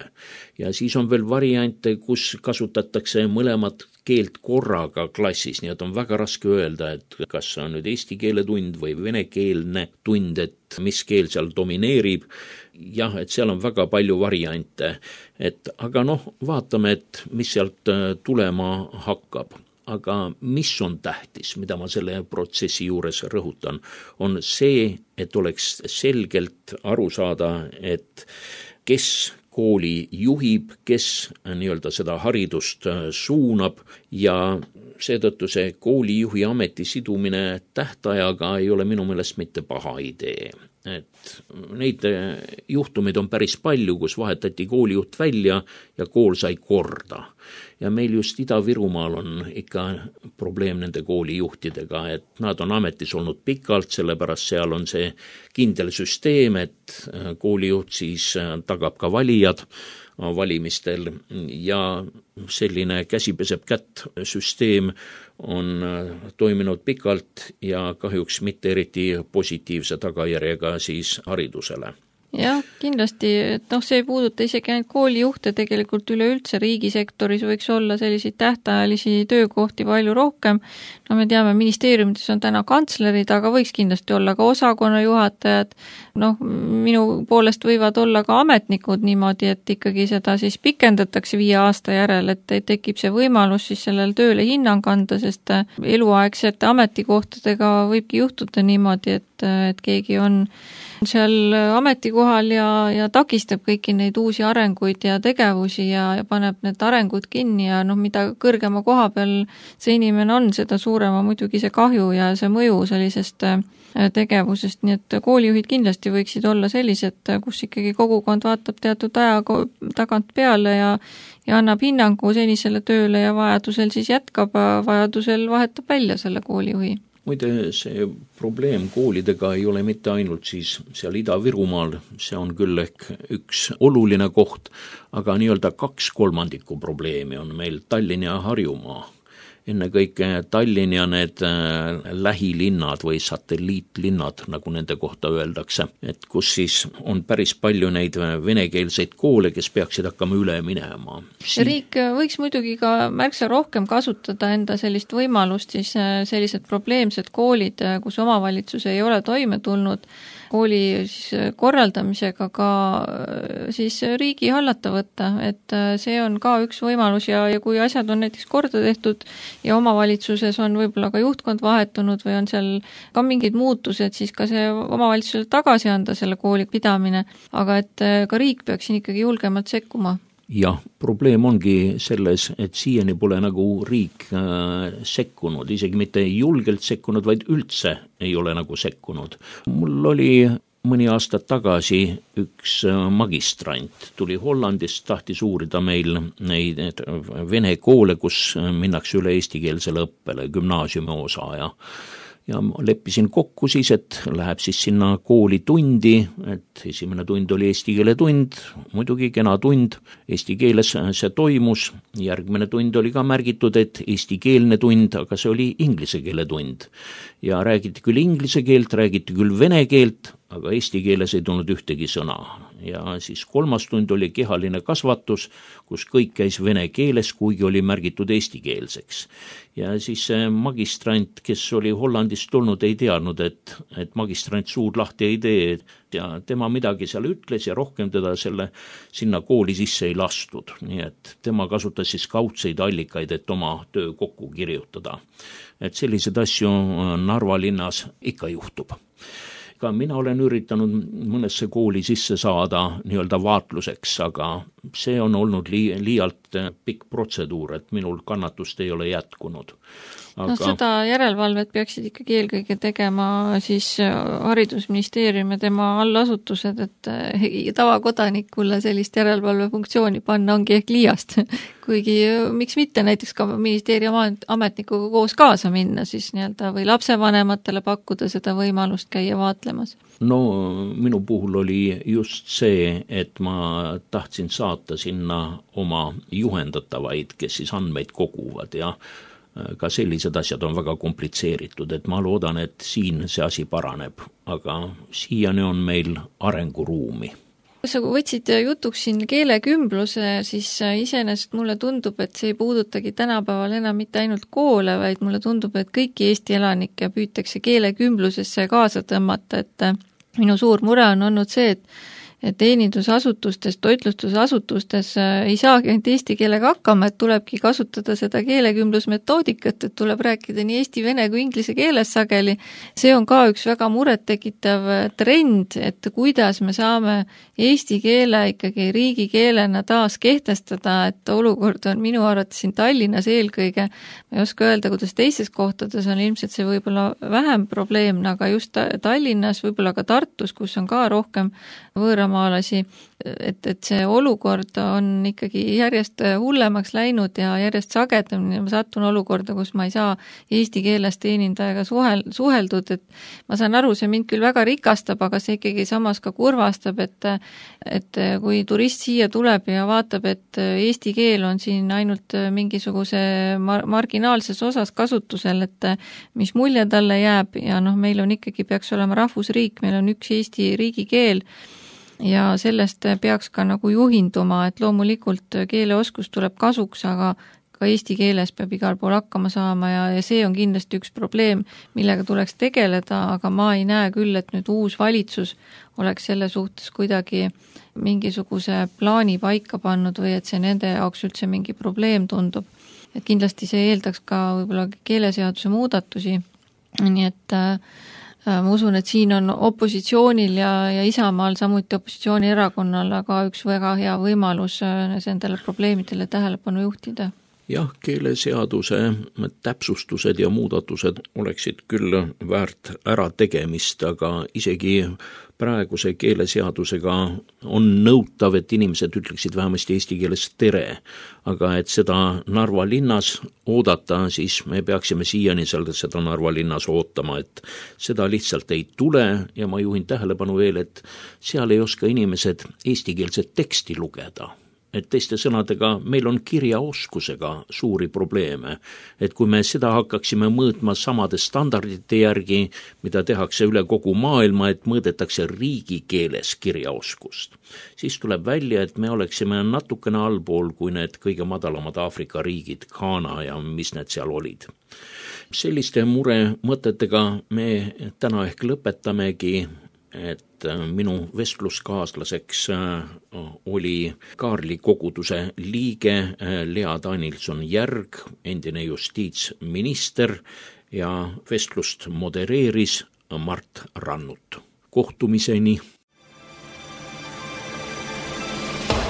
Ja siis on veel variante, kus kasutatakse mõlemat keelt korraga klassis, nii et on väga raske öelda, et kas see on nüüd eesti keele tund või venekeelne tund, et mis keel seal domineerib. Jah, et seal on väga palju variante, aga vaatame, et mis sealt tulema hakkab. Aga mis on tähtis, mida ma selle protsessi juures rõhutan, on see, et oleks selgelt aru saada, et kes kooli juhib, kes nii-öelda seda haridust suunab ja seetõttu see koolijuhi ameti sidumine tähtajaga ei ole minu meelest mitte paha idee. Et neid juhtumeid on päris palju, kus vahetati koolijuht välja ja kool sai korda. Ja meil just Ida-Virumaal on ikka probleem nende koolijuhtidega, et nad on ametis olnud pikalt, sellepärast seal on see kindel süsteem, et koolijuht siis tagab ka valijad valimistel ja selline käsi peseb kätt süsteem on toiminud pikalt ja kahjuks mitte eriti positiivse tagajärjega siis haridusele. Jah, kindlasti, et see ei puuduta isegi ainult koolijuhte, tegelikult üleüldse riigisektoris võiks olla selliseid tähtajalisi töökohti palju rohkem. Me teame, ministeeriumides on täna kantslerid, aga võiks kindlasti olla ka osakonnajuhatajad. Minu poolest võivad olla ka ametnikud niimoodi, et ikkagi seda siis pikendatakse 5 aasta järel, et tekib see võimalus siis sellel tööle hinnang anda, sest eluaegsete ametikohtadega võibki juhtuda niimoodi, et keegi on seal ametikohal ja takistab kõiki neid uusi arenguid ja tegevusi ja paneb need arengud kinni ja mida kõrgema koha peal see inimene on, seda suurema muidugi see kahju ja see mõju sellisest tegevusest, nii et koolijuhid kindlasti võiksid olla sellised, kus ikkagi kogukond vaatab teatud aja tagant peale ja annab hinnangu senisele tööle ja vajadusel siis jätkab, vajadusel vahetab välja selle koolijuhi. Muide, see probleem koolidega ei ole mitte ainult siis seal Ida-Virumaal, see on küll ehk üks oluline koht, aga nii-öelda 2/3 probleemi on meil Tallinn ja Harjumaa. Ennekõike Tallinn ja need lähilinnad või satelliitlinnad, nagu nende kohta öeldakse, et kus siis on päris palju neid venekeelseid koole, kes peaksid hakkama üle minema. Riik võiks muidugi ka märksa rohkem kasutada enda sellist võimalust, siis sellised probleemsed koolid, kus omavalitsus ei ole toime tulnud, kooli siis korraldamisega ka siis riigi hallata võtta, et see on ka üks võimalus ja kui asjad on näiteks korda tehtud ja omavalitsuses on võib-olla ka juhtkond vahetunud või on seal ka mingid muutused, siis ka see omavalitsusele tagasi anda selle kooli pidamine, aga et ka riik peaks siin ikkagi julgemalt sekkuma. Jah, probleem ongi selles, et siiani pole nagu riik sekkunud, isegi mitte julgelt sekkunud, vaid üldse ei ole nagu sekkunud. Mul oli mõni aasta tagasi üks magistrant, tuli Hollandist, tahtis uurida meil neid vene koole, kus minnakse üle eestikeelsele õppele, gümnaasiumi osa ja leppisin kokku siis, et läheb siis sinna kooli tundi, et esimene tund oli eesti keele tund, muidugi kena tund, eesti keeles see toimus, järgmine tund oli ka märgitud, et eestikeelne tund, aga see oli inglise keele tund. Ja räägiti küll inglise keelt, räägiti küll vene keelt, aga eesti keeles ei tulnud ühtegi sõna. Ja siis 3. tund oli kehaline kasvatus, kus kõik käis vene keeles, kuigi oli märgitud eestikeelseks. Ja siis magistrant, kes oli Hollandist tulnud, ei teadnud, et magistrant suud lahti ei tee ja tema midagi seal ütles ja rohkem teda sinna kooli sisse ei lastud. Nii et tema kasutas siis kaudseid allikaid, et oma töö kokku kirjutada. Et sellised asju Narva linnas ikka juhtub. Ka mina olen üritanud mõnesse kooli sisse saada nii-öelda vaatluseks, aga see on olnud liialt pikk protseduur, et minul kannatust ei ole jätkunud. Aga... seda järelevalvet peaksid ikkagi eelkõige tegema siis haridusministeerium ja tema allasutused, et tavakodanikule sellist järelevalvefunktsiooni panna ongi ehk liiast. Kuigi miks mitte näiteks ka ministeeriumi ametnikuga koos kaasa minna siis nii-öelda või lapsevanematele pakkuda seda võimalust käia vaatlemas? No minu puhul oli just see, et ma tahtsin saata sinna oma juhendatavaid, kes siis andmeid koguvad ja ka sellised asjad on väga komplitseeritud, et ma loodan, et siin see asi paraneb, aga siiani on meil arenguruumi. Kui sa võtsid jutuks siin keelekümbluse, siis iseenesest mulle tundub, et see ei puudutagi tänapäeval enam mitte ainult koole, vaid mulle tundub, et kõiki Eesti elanikke püütakse keelekümblusesse kaasa tõmmata, et minu suur mure on olnud see, et teenindusasutustes, toitlustusasutustes ei saagi ainult eesti keelega hakkama, et tulebki kasutada seda keelekümblusmetoodikat, et tuleb rääkida nii eesti, vene kui inglise keeles sageli. See on ka üks väga murettekitav trend, et kuidas me saame eesti keele ikkagi riigikeelena taas kehtestada, et olukord on minu arvates siin Tallinnas eelkõige, ma ei oska öelda, kuidas teistes kohtades on ilmselt see võib-olla vähem probleemne, aga just Tallinnas, võib-olla ka Tartus, kus on ka rohkem võõramaalasi, et see olukord on ikkagi järjest hullemaks läinud ja järjest sagedamini ma sattun olukorda, kus ma ei saa eesti keeles teenindajaga suheldud, et ma saan aru, see mind küll väga rikastab, aga see ikkagi samas ka kurvastab, et kui turist siia tuleb ja vaatab, et eesti keel on siin ainult mingisuguse marginaalses osas kasutusel, et mis mulje talle jääb ja meil on ikkagi, peaks olema rahvusriik, meil on üks Eesti riigikeel ja sellest peaks ka nagu juhinduma, et loomulikult keeleoskus tuleb kasuks, aga ka eesti keeles peab igal pool hakkama saama ja see on kindlasti üks probleem, millega tuleks tegeleda, aga ma ei näe küll, et nüüd uus valitsus oleks selle suhtes kuidagi mingisuguse plaani paika pannud või et see nende jaoks üldse mingi probleem tundub. Et kindlasti see eeldaks ka võib-olla keeleseaduse muudatusi, nii et ma usun, et siin on opositsioonil ja Isamaal, samuti opositsioonierakonnal aga üks väga hea võimalus nendele probleemidele tähelepanu juhtida. Jah, keeleseaduse täpsustused ja muudatused oleksid küll väärt ära tegemist, aga isegi praeguse keeleseadusega on nõutav, et inimesed ütleksid vähemasti eesti keeles tere, aga et seda Narva linnas oodata, siis me peaksime siiani seda Narva linnas ootama, et seda lihtsalt ei tule ja ma juhin tähelepanu veel, et seal ei oska inimesed eestikeelset teksti lugeda. Et teiste sõnadega, meil on kirjaoskusega suuri probleeme, et kui me seda hakkaksime mõõtma samade standardite järgi, mida tehakse üle kogu maailma, et mõõdetakse riigikeeles kirjaoskust, siis tuleb välja, et me oleksime natukene allpool kui need kõige madalamad Aafrika riigid, Ghana ja mis need seal olid. Selliste mure mõtetega me täna ehk lõpetamegi, et minu vestluskaaslaseks oli Kaarli koguduse liige Lea Danilson-Järg, endine justiitsminister ja vestlust modereeris Mart Rannut. Kohtumiseni!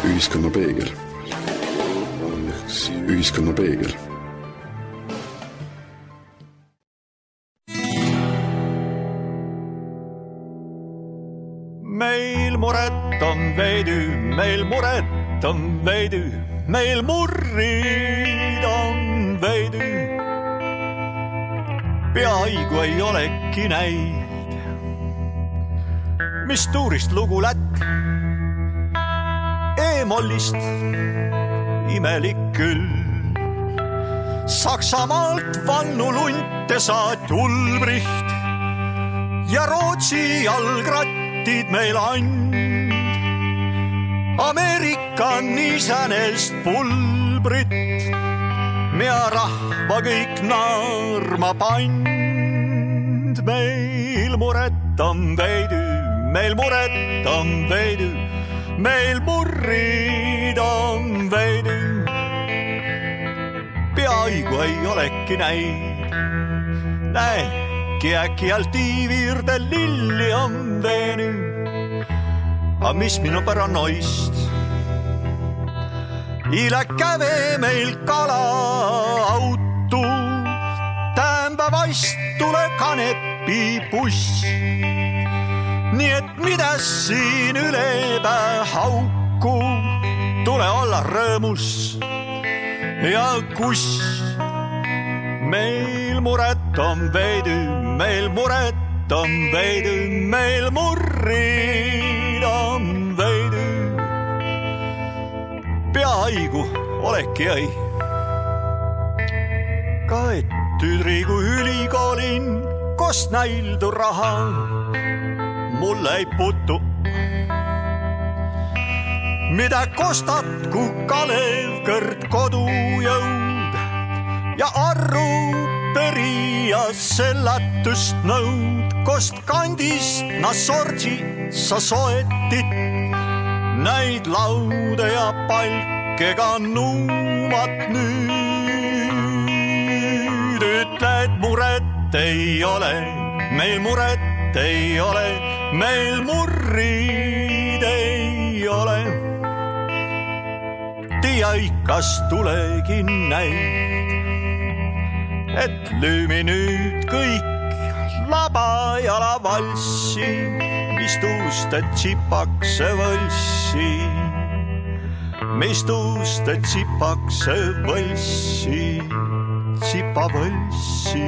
Ühiskonna peegel. Ühiskonna peegel. Meil muret on veidi, meil muret on veidi, meil murrid on veidi. Peaaegu ei olegi näid, mis tuurist lugu lätt, E-mollist imelik küll. Saksamaalt Vannu Lunte saat Ulbricht ja Rootsi jalgratt meil and. Ameerika niisänest pulbrit, mea rahva kõik naarma pand. Meil muret on veidi, meil muret on veidi, meil murrid on veidi. Peaaegu ei olegi näid, äkki alt iivirde lilli on veeni. A mis minu paranoist? Ila käve meil kala auto, tämba vaist tule kanepi buss. Nii et midas siin ülepää hauku, tule olla rõõmus ja kus. Meil muret on veidi, meil muret on veidi, meil murrid on veidi. Peaaegu oleki ei. Ka et tüdrigu ülikoolin, kost näildu raha, mulle ei putu. Mida kostat, kui Kalev kõrd kodujõud ja arru perija sellatust nõud, kost kandist na sorgi sa soetit, näid laude ja palkega nuumat nüüd. Ütle, et muret ei ole, meil muret ei ole, meil murrid ei ole. Tia ikas tulegi näid, et lüümi nüüd kõik labajala valssi, mis tuuste tsipakse võlssi, mis tuuste tsipakse võlssi, tsipa võlssi.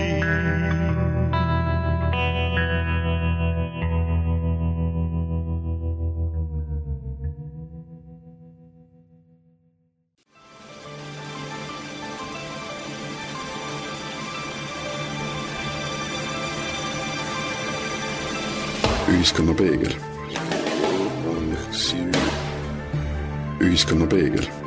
Ühiskonna peegel. Ühiskonnapeegel.